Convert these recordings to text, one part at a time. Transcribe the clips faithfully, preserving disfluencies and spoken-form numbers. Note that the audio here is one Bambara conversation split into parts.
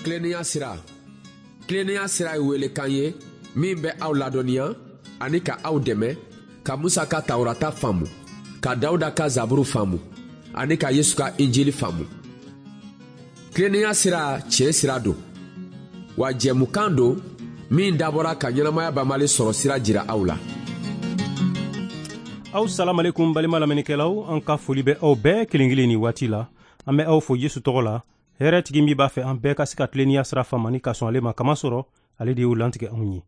Tilennenya sira. Tilennenya sira ye welekan ye min bɛ aw ladɔnniya ani ka aw dɛmɛ ka Musa ka Tawurata faamu, ka Dawuda ka Zaburu faamu ani ka Yesu ka Injili faamu. Tilennenya sira tiɲɛ sira don, wa jɛmukan don min dabɔra ka ɲɛnamaya banbali sɔrɔ sira jira aw la. Aw salamalekum balima lamɛnnikɛlaw, an ka foli bɛ aw bɛɛ kelen kelen nin waati la. An bɛ aw fo Yesu tɔgɔ la. Hɛrɛ tigi min b'a fɛ an bɛɛ ka se ka tilennenya sira faamu ni ka sɔn ale ma, kamasɔrɔ ale de y'o lantigɛ anw ye.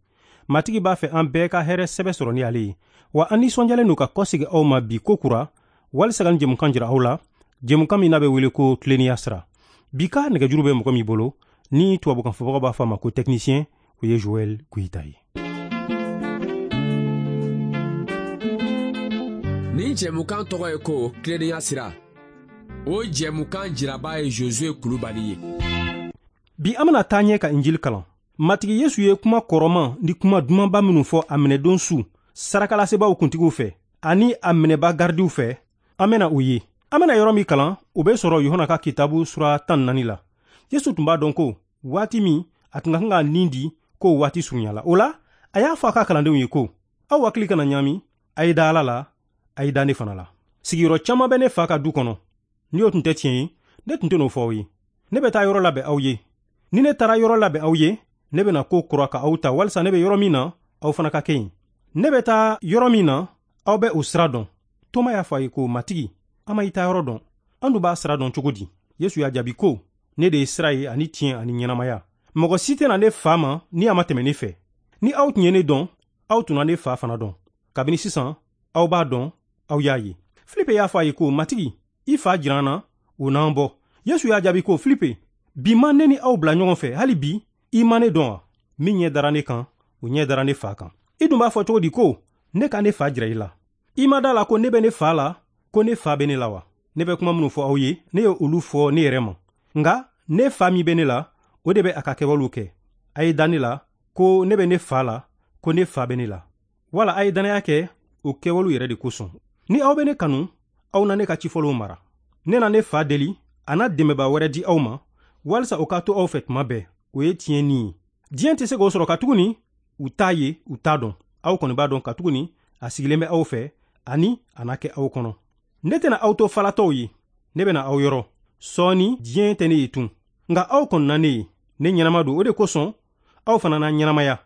Matigi b'a fɛ an bɛɛ ka hɛrɛ sɛbɛ sɔrɔ ni ale ye. Wa an nisɔndiyalen don ka kɔsegin aw ma bi ko kura, walisa ka nin jɛmukan jira aw la, jɛmukan min n'a bɛ wele ko tilennenya sira. Bi ka nɛgɛjuru bɛ mɔgɔ min bolo, ni tubabukan fɔbagaw b'a fɔ a ma ko technicien, o ye Joël Goïta ye. Nin jɛmukan tɔgɔ ye ko tilennenya sira. O jɛmukan jiraba ye Josué Kulubali ye. Bi an bɛna taa ɲɛ ka Injili kalan. Matigi Yesu ye kuma kɔrɔman ni kuma dumanba minnu fɔ a minɛdon su sarakalasebaaw kuntigiw fɛ ani a minɛba garidiw fɛ, an bɛna o ye. An bɛna yɔrɔ min kalan, o bɛ sɔrɔ Yohana ka kitabu sura tan ni naani la. Yesu tun b'a dɔn ko waati min a tun ka kan ka nin di, k'o waati surunyala. O la, a y'a fɔ a ka kalandenw ye ko, aw hakili kana ɲaami, a ye da Ala la, a ye da ne fana la. Sigiyɔrɔ caman bɛ ne fa ka du kɔnɔ. Ni o tun tɛ tiɲɛ ye, ne tun tɛ n'o fɔ aw ye. Ne bɛ taa yɔrɔ labɛn aw ye. Ni ne taara yɔrɔ labɛn aw ye, ne bɛna ko kura ka aw ta, walisa ne bɛ yɔrɔ min na, aw fana ka kɛ yen. Ne bɛ taa yɔrɔ min na, aw bɛ o sira dɔn. Toma y'a fɔ a ye ko, Matigi, an ma i taa yɔrɔ dɔn. An dun b'a sira dɔn cogo di? Yesu y'a jaabi ko, ne de ye sira ye ani tiɲɛ ani ɲɛnamaya. Mɔgɔ si tɛna ne fa ma ni a ma tɛmɛ ne fɛ. Ni aw tun ye ne dɔn, aw tun na ne fa fana dɔn. Kabini sisan, aw b'a dɔn, aw y'a ye. Filipe y'a fɔ a ye ko, Matigi, i fa jira an na, o n'an bɔ. Yesu y'a jaabi ko, Filipe, bi ma ne ni aw bila ɲɔgɔn fɛ, hali bi i ma ne dɔn wa? Min ɲɛ dara ne kan, o ɲɛ dara ne fa kan. I dun b'a fɔ cogo di ko ne ka ne fa jira i la? I ma da la ko ne bɛ ne fa la, ko ne fa bɛ ne la wa? Ne bɛ kuma minnu fɔ aw ye, ne ye olu fɔ ne yɛrɛ ma. Nka ne fa min bɛ ne la, o de bɛ a ka kɛwalew kɛ. A ye da ne la ko ne bɛ ne fa la, ko ne fa bɛ ne la. Wala a ye danaya kɛ o kɛwalew yɛrɛ de kosɔn. Ni aw bɛ ne kanu, aw na ne ka cifɔlenw mara. Ne na ne fa deli, a na dɛmɛbaa wɛrɛ di aw ma, walisa o ka to aw fɛ tuma bɛɛ. O ye tiɲɛ ni ye. Diɲɛ tɛ se k'o sɔrɔ katuguni u t'a ye, u t'a dɔn. Aw kɔni b'a dɔn katuguni a sigilen bɛ aw fɛ ani a na kɛ aw kɔnɔ. Ne tɛna aw to falatɔw ye, ne bɛna aw yɔrɔ. Sɔɔni diɲɛ tɛ ne ye tun, nka aw kɔni na ne ye. Ne ɲɛnama don, o de kosɔn aw fana na ɲɛnamaya.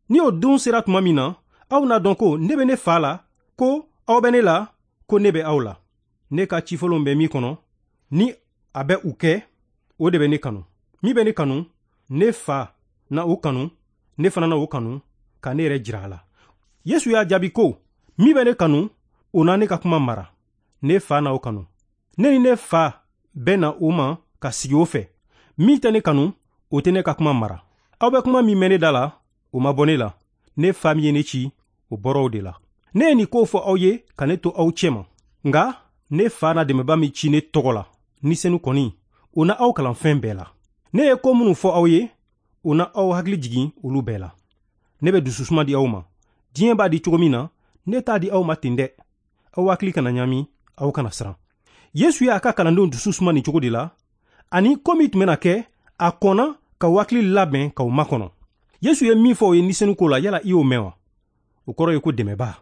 Ni o don sera tuma min na, aw n'a dɔn ko ne bɛ ne fa la, ko aw bɛ ne la, ko ne bɛ aw la. Ne ka cifɔlenw bɛ min kɔnɔ, ni a bɛ u kɛ, o de bɛ ne kanu. Min bɛ ne kanu, ne fa na o kanu, ne fana na o kanu, ka ne yɛrɛ jira a la. Yesu y'a jaabi ko, min bɛ ne kanu, o na ne ka kuma mara. Ne fa na o kanu. Ne ni ne fa bɛ na o ma ka sigi o fɛ. Min tɛ ne kanu, o tɛ ne ka kuma mara. Aw bɛ kuma min mɛn ne da la, o ma bɔ ne la. Ne fa min ye ne ci, o bɔra o de la. Ne ye nin ko fɔ aw ye ka ne to aw cɛma. Nka ne fa na dɛmɛba min ci ne tɔgɔ la, ni senu kɔni, o na aw kalan fɛn bɛɛ la. Ne ye ko minnu fɔ aw ye, o na aw hakili jigin olu bɛɛ la. Ne bɛ dususuma di aw ma. Diɲɛ b'a di cogo min na, ne t'a di aw ma ten dɛ. Aw hakili kana ɲami, aw kana siran. Yesu y'a ka kalandenw dusu suma nin cogo de la, ani ko min tun bɛna kɛ, a kɔnna ka hakili labɛn k'aw makɔnɔ. Yesu ye min fɔ o ye ni senu ko la, yala i y'o mɛn wa? O kɔrɔ ye ko dɛmɛbaa.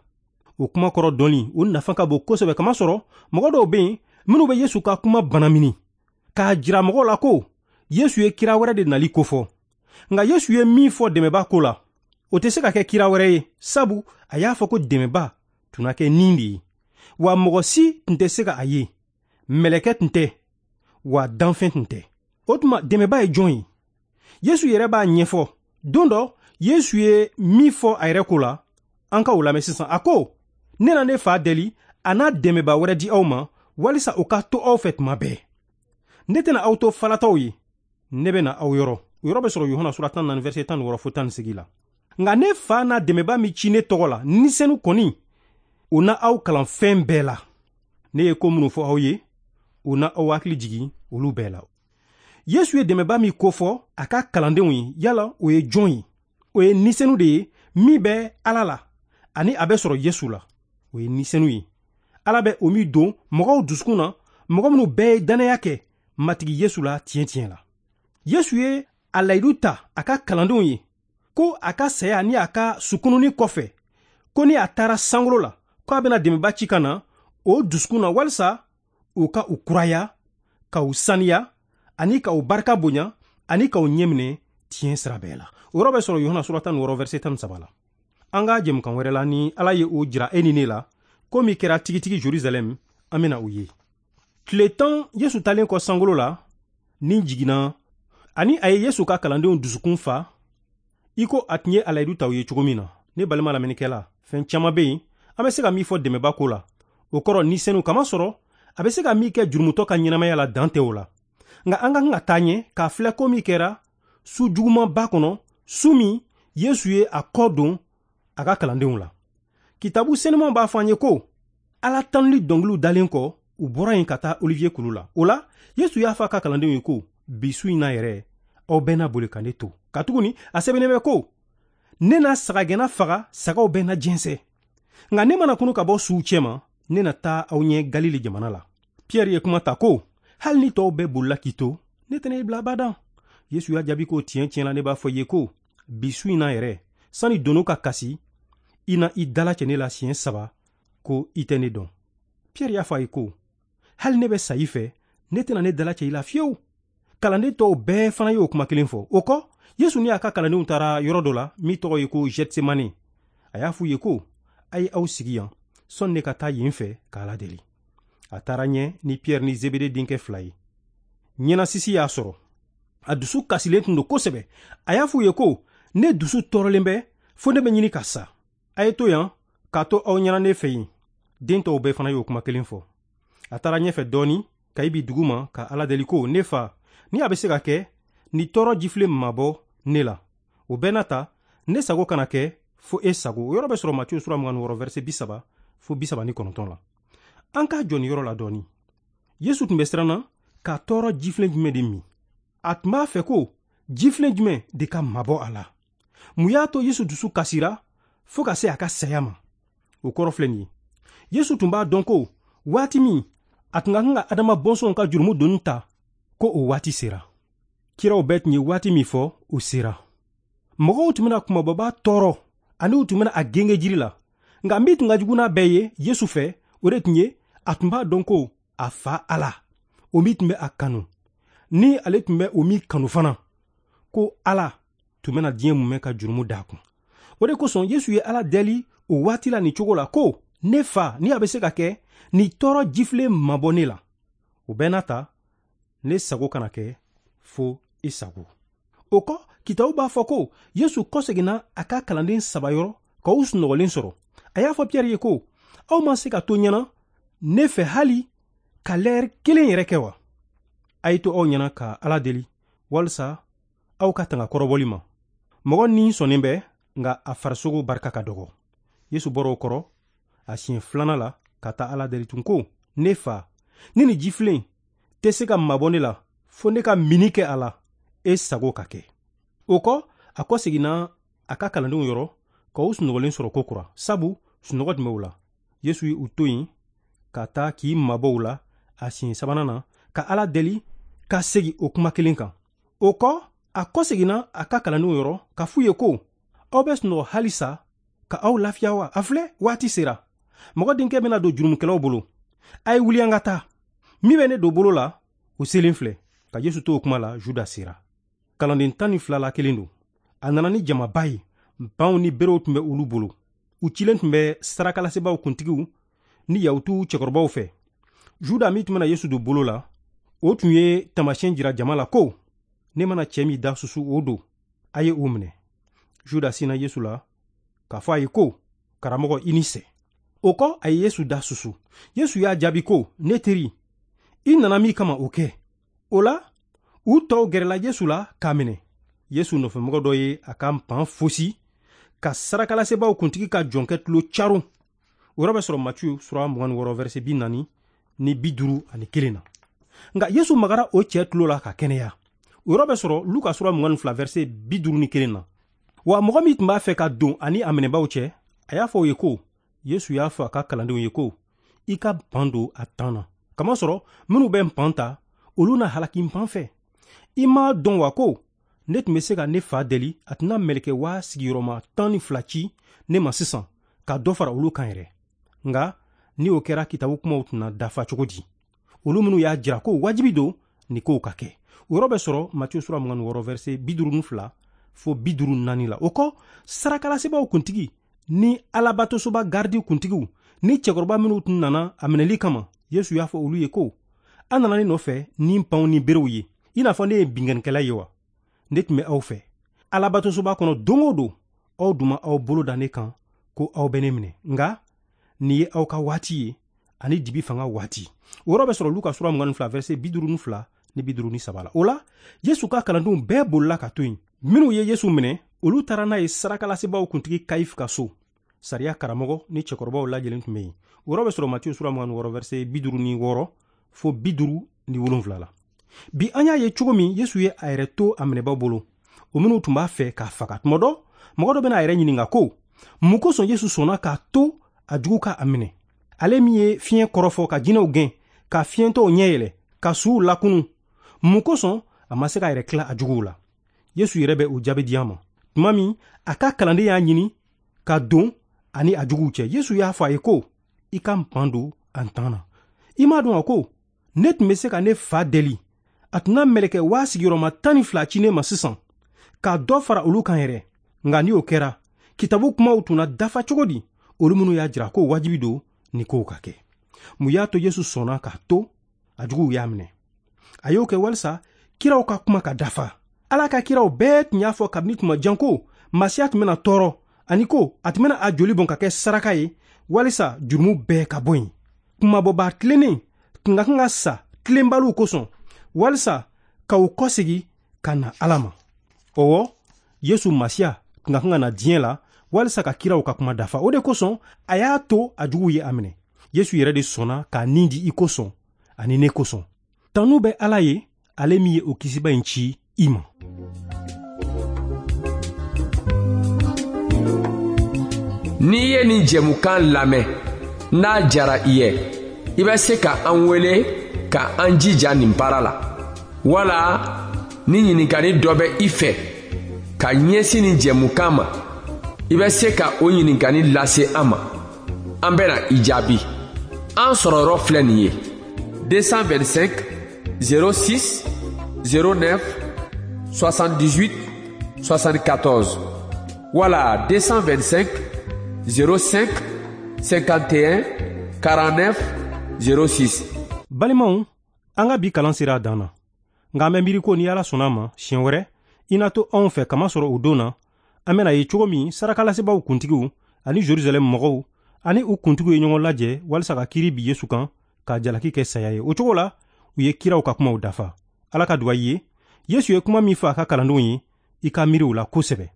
O kuma kɔrɔ dɔnni, o nafa ka bon kosɛbɛ, kamasɔrɔ mɔgɔ dɔw bɛ yen minnu bɛ Yesu ka kuma banamini, k'a jira mɔgɔw la ko Yesu ye kira wɛrɛ de nali kofɔ. Nka Yesu ye min fɔ dɛmɛbaa ko la, o tɛ se ka kɛ kira wɛrɛ ye, sabu a y'a fɔ ko dɛmɛbaa tun na kɛ nin de ye. Wa mɔgɔ si tun tɛ se ka a ye, mɛlɛkɛ tun tɛ, wa danfɛn tun tɛ. O tuma dɛmɛbaa ye jɔn ye? Yesu yɛrɛ b'a ɲɛfɔ. Don dɔ, Yesu ye min fɔ a yɛrɛ ko la, an ka o lamɛn sisan. A ko, ne na ne fa deli, a n'a dɛmɛbaa wɛrɛ di aw ma, walisa o ka to aw fɛ tuma bɛɛ. Ne tɛna aw to falatɔw ye, ne bɛ na aw yɔrɔ. O yɔrɔ bɛ sɔrɔ Yohana sura tan naani verset tan ni wɔɔrɔ fo tan ni seegin la. Nka ne fa n'a dɛmɛbaa min ci ne tɔgɔ la, ni senu kɔni, o na aw kalan fɛn bɛɛ la. Ne ye ko minnu fɔ aw ye, o na aw hakili jigin olu bɛɛ la. Yesu ye dɛmɛbaa min kofɔ a ka kalandenw ye, yala o ye jɔn ye? O ye ni senu de ye min bɛ Ala la, ani a bɛ sɔrɔ Yesu la. O ye ni senu ye. Ala bɛ o min don mɔgɔw dusukun na, mɔgɔ minnu bɛɛ ye danaya kɛ Matigi Yesu la tiɲɛ tiɲɛ la. Yesu ye a layidu ta a ka kalandenw ye ko a ka saya ni a ka sukununi kɔfɛ, ko ni a taara sankolo la, ko a bɛna dɛmɛba ci ka na o dusukun na walisa u ka u kuraya, ka u saniya, ani ka u barika bonya, ani ka u ɲɛminɛ tiɲɛ sira bɛɛ la. O yɔrɔ bɛ sɔrɔ Yohana sura tan ni wɔɔrɔ verset tan ni saba la. An ka jɛmukan wɛrɛ la, ni Ala ye o jira e ni ne la, ko min kɛra tigitigi Jerusalɛm, an bɛna o ye. Tile tan Yesu talen kɔ sankolo la, ni jiginna, ani a ye Yesu ka kalandenw dusukun fa, i ko a tun ye a layidu ta u ye cogo min na. Ne balima lamɛnnikɛla, fɛn caman bɛ yen an bɛ se ka min fɔ dɛmɛba ko la. O kɔrɔ ni senu kama sɔrɔ, a bɛ se ka min kɛ jurumutɔ ka ɲɛnamaya la, dan tɛ o la. Nka an ka kan ka taa ɲɛ k'a filɛ ko min kɛra su jugumanba kɔnɔ, su min Yesu ye a kɔ don a ka kalandenw la. Kitabu senumanw b'a fɔ an ye ko Ala tanuli dɔnkiliw dalen kɔ, u bɔra yen ka taa Olivier kulu la. O la, Yesu y'a fɔ a ka kalandenw ye ko bi su in na yɛrɛ, aw bɛɛ na boli ka ne to. Katuguni a sɛbɛnnen bɛ ko ne na sagagɛnna faga, sagaw bɛɛ na jɛnsɛn. Nka ne mana kunu ka bɔ suw cɛma, ne na taa aw ɲɛ Galile jamana la. Pierre ye kuma ta ko hali ni tɔw bɛɛ bolila k'i to, ne tɛna i bila abadan. Yesu y'a jaabi ko tiɲɛ tiɲɛ la, ne b'a fɔ i ye ko bi su in na yɛrɛ, sani dono ka kasi, i na i dalacɛ ne la siɲɛ saba ko i tɛ ne dɔn. Pierre y'a fɔ a ye ko hali ne bɛ sa i fɛ, ne tɛna ne dalacɛ i la fiyewu. Kalanden tɔw bɛɛ fana y'o kuma kelen fɔ. O kɔ, Yesu ni a ka kalandenw taara yɔrɔ dɔ la min tɔgɔ ye ko Gethsemane. A y'a f'u ye ko a ye aw sigi yan, sɔnni ne ka taa yen fɛ k'Ala deli. A taara ɲɛ ni Pierre ni Zebede denkɛ fila ye. Ɲɛnasisi y'a sɔrɔ. A dusu kasilen tun don kosɛbɛ. A y'a f'u ye ko ne dusu tɔɔrɔlen bɛ fo ne bɛ ɲini ka sa. A ye to yan k'a to aw ɲɛna ne fɛ yen. Den tɔw bɛɛ fana y'o kuma kelen fɔ. A taara ɲɛfɛ dɔɔni ka i bi dugu ma ka Ala deli ko ne fa, ni a bɛ se ka kɛ, ni tɔɔrɔ jifilen mabɔ ne la. O bɛɛ n'a ta, ne sago kana kɛ fo e sago. O yɔrɔ bɛ sɔrɔ Matiyu sura mugan ni wɔɔrɔ verset bi saba fo bi saba ni kɔnɔntɔn la. An k'a jɔ nin yɔrɔ la dɔɔni. Yesu tun bɛ siran na ka tɔɔrɔ jifilen jumɛn de min. A tun b'a fɛ ko jifilen jumɛn de ka mabɔ a la. Mun y'a to Yesu dusu kasira fo ka se a ka saya ma? O kɔrɔ filɛ nin ye. Yesu tun b'a dɔn ko waati min a tun ka kan ka Adama bɔnsɔnw ka jurumu doni ta, ko o waati sera. Kiraw bɛɛ tun ye waati min fɔ, o sera. Mɔgɔw tun bɛna kumababa tɔɔrɔ ani u tun bɛna a genge jiri la. Nka min tun ka jugu n'a bɛɛ ye Yesu fɛ, o de tun ye a tun b'a dɔn ko a fa Ala, o min tun bɛ a kanu, ni ale tun bɛ o min kanu fana, ko Ala tun bɛna diɲɛ mumɛ ka jurumu d'a kun. O de kosɔn Yesu ye Ala deli o waati la nin cogo la ko ne fa, ni a bɛ se ka kɛ, ni tɔɔrɔ jifilen mabɔ ne la. O bɛɛ n'a ta, ne sago kana kɛ fo i sago. O kɔ, kitabu b'a fɔ ko Yesu kɔseginna a ka kalanden saba yɔrɔ ka u sunɔgɔlen sɔrɔ. A y'a fɔ Pierre ye ko aw ma se ka to ɲɛna ne fɛ hali ka lɛri kelen yɛrɛ kɛ wa? A ye to aw ɲɛna ka Ala deli walisa aw ka tanga kɔrɔbɔli ma. Mɔgɔ ni sɔnnen bɛ, nka a farisogo barika ka dɔgɔ. Yesu bɔra o kɔrɔ a siɲɛ filanan la ka taa Ala deli tun ko ne fa, ni nin jifilen tɛ se ka mabɔ ne la fo ne ka mini kɛ a la, e sago ka kɛ. O kɔ, a kɔseginna a ka kalandenw yɔrɔ ka u sunɔgɔlen sɔrɔ ko kura, sabu sunɔgɔ tun bɛ u la. Yesu ye u to yen ka taa k'i mabɔ u la a siɲɛ sabanan na ka Ala deli ka segin o kuma kelen kan. O kɔ, a kɔseginna a ka kalandenw yɔrɔ ka f'u ye ko aw bɛ sunɔgɔ halisa ka aw lafiya wa? A filɛ, waati sera. Mɔgɔ denkɛ bɛna don jurumukɛlaw bolo. A ye wuli an ka taa. Min bɛ ne don bolo la, o selen filɛ. Ka Yesu to o kuma la, Juda sera. Kalanden tan ni fila la kelen don. A nana ni jamaba ye. Banw ni berew tun bɛ olu bolo. U cilen tun bɛ sarakalasebaaw kuntigiw ni Yahutuw cɛkɔrɔbaw fɛ. Juda min tun bɛna Yesu don bolo la, o tun ye taamasiyɛn jira jama la ko ne mana cɛ min da susu, o don. A ye o minɛ. Juda sinna Yesu la k'a fɔ a ye ko karamɔgɔ, i ni sɛ. O kɔ, a ye Yesu da susu. Yesu y'a jaabi ko ne teri, i nana min kama o kɛ. O la, u tɔw gɛrɛla Yesu la k'a minɛ. Yesu nɔfɛmɔgɔ dɔ ye a ka npan fosi ka sarakalasebaaw kuntigi ka jɔnkɛ tulo caron. O yɔrɔ bɛ sɔrɔ Matiyu sura mugan ni wɔɔrɔ verset bi naani ni bi duuru ani kelen na. Nka Yesu magara o cɛ tulo la ka kɛnɛya. O yɔrɔ bɛ sɔrɔ Luka sura mugan ni fila verset bi duuru ni kelen na. Wa mɔgɔ min tun b'a fɛ ka don ani a minɛbaaw cɛ, a y'a fɔ o ye ko Yesu y'a fɔ a ka kalandenw ye ko i ka npan don a tan na. Kamasɔrɔ minnu bɛ npan ta, olu na halaki npan fɛ. I m'a dɔn wa ko ne tun bɛ se ka ne fa deli, a tɛna mɛlɛkɛ waa sigiyɔrɔma tan ni fila ci ne ma sisan ka dɔ fara olu kan yɛrɛ. Nka ni o kɛra, kitabu kumaw tɛna dafa cogo di? Olu minnu y'a jira ko wajibi don nin kow ka kɛ. O yɔrɔ bɛ sɔrɔ Matiyu sura mugan ni wɔɔrɔ verset bi duuru ni fila fo bi duuru ni naani la. O kɔ, sarakalasebaaw kuntigi ni alabatosoba garidi kuntigiw ni cɛkɔrɔba minnu tun nana a minɛli kama, Yesu y'a fɔ olu ye ko, an nana ne nɔfɛ ni npanw ni berew ye, i n'a fɔ ne ye binkannikɛla ye wa? Ne tun bɛ aw fɛ alabatosoba kɔnɔ don o don, aw dun ma aw bolo da ne kan ko aw bɛ ne minɛ. Nka nin ye aw ka waati ye ani dibi fanga waati. O yɔrɔ bɛ sɔrɔ Luka sura mugan ni fila verset bi duuru ni fila ni bi duuru ni saba la. O la, Yesu ka kalandenw bɛɛ bolila ka to yen. Minnu ye Yesu minɛ, olu taara n'a ye sarakalasebaaw kuntigi Kayifu ka so. Sariya karamɔgɔ ni cɛkɔrɔbaw lajɛlen tun bɛ yen. O yɔrɔ bɛ sɔrɔ Matiyu sura mugan ni wɔɔrɔ verset bi duuru ni wɔɔrɔ fo bi duuru ni wolonwula la. Bi an y'a ye cogo min Yesu ye a yɛrɛ to a minɛbaw bolo, o minnu tun b'a fɛ k'a faga. Tuma dɔ, mɔgɔ dɔ bɛna a yɛrɛ ɲininka ko, mun kosɔn Yesu sɔnna k'a to a jugu ka a minɛ? Ale min ye fiɲɛ kɔrɔfɔ ka jinɛw gɛn, ka fiɲɛtɔw ɲɛ yɛlɛ, ka suw lakunu, mun kosɔn a ma se k'a yɛrɛ tila a juguw la? Yesu yɛrɛ bɛ o jaabi di an ma. Tuma min a ka kalanden y'a ɲini ka don ani a juguw cɛ, Yesu y'a fɔ a ye ko, i ka npan don a ntan na. I m'a dɔn wa ko ne tun bɛ se ka ne fa deli, a tɛna mɛlɛkɛ waa sigiyɔrɔma tan ni fila ci ne ma sisan ka dɔ fara olu kan yɛrɛ. Nka ni o kɛra, kitabu kumaw tun na dafa cogo di? Olu minnu y'a jira ko wajibi don nin kow ka kɛ. Mun y'a to Yesu sɔnna k'a to a juguw y'a minɛ? A y'o kɛ walisa kiraw ka kuma ka dafa. Ala ka kiraw bɛɛ tun y'a fɔ kabini tuma jan ko Masiya tun bɛna tɔɔrɔ, ani ko a tun bɛna a joli bɔn ka kɛ saraka ye walisa jurumu bɛɛ ka bɔ yen. Kumabɔbaa tilennen tun ka kan ka sa tilenbaliw kosɔn walisa ka u kɔsegi ka na Ala ma. Ɔwɔ, Yesu Masiya tun ka kan ka na diɲɛ la walisa ka kiraw ka kuma dafa. O de kosɔn a y'a to a juguw ye a minɛ. Yesu yɛrɛ de sɔnna k'a nin di i kosɔn ani ne kosɔn. Tanu bɛ Ala ye, ale min ye o kisiba in ci i ma. N'i ye nin jɛmukan lamɛn, n'a jara i ye, i bɛ se ka an wele ka an jija nin baara la. Wala ni ɲininkali dɔ bɛ i fɛ ka ɲɛsin nin jɛmukan ma, i bɛ se ka o ɲininkali lase an ma. An bɛna i jaabi. An sɔrɔ yɔrɔ filɛ nin ye: deux cent vingt-cinq zéro six zéro neuf soixante-dix-huit soixante-quatorze wala deux cent vingt-cinq zéro cinq cinquante et un quarante-neuf zéro six. Balimaw, an ka bi kalan sera a dan na. Nka an bɛ miiri ko ni Ala sɔnna a ma, siɲɛ wɛrɛ i n'a to anw fɛ, kamasɔrɔ o don na an bɛna ye cogo min sarakalasebaaw kuntigiw ani Jerusalɛm mɔgɔw ani u kuntigiw ye ɲɔgɔn lajɛ walisa ka kiiri bi Yesu kan k'a jalaki kɛ saya ye. O cogo la, u ye kiraw ka kumaw dafa. Ala ka duwawu ye. Yesu ye kuma min fɔ a ka kalandenw ye, i ka miiri o la kosɛbɛ.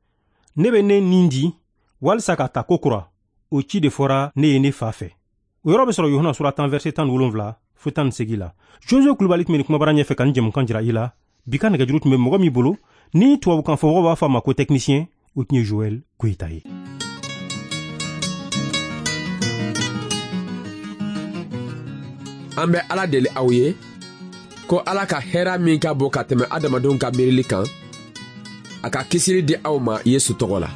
Ne bɛ ne nin di walisa ka ta ko kura, o ci de fɔra ne ye ne fa fɛ. O yɔrɔ bɛ sɔrɔ Yohana sura tan verset tan ni wolonwula fo tan ni seegin la. Josue Kulubali tun bɛ nin kumabara ɲɛfɛ ka nin jɛmukan jira i la. Bi ka nɛgɛjuru tun bɛ mɔgɔ min bolo, ni tubabukan fɔmɔgɔw b'a fɔ a ma ko technicien, o tun ye Joël Koyita ye. An bɛ Ala deli aw ye ko Ala ka hɛrɛ min ka bon ka tɛmɛ adamadenw ka miirili kan, a ka kisili di aw ma Yesu tɔgɔ la.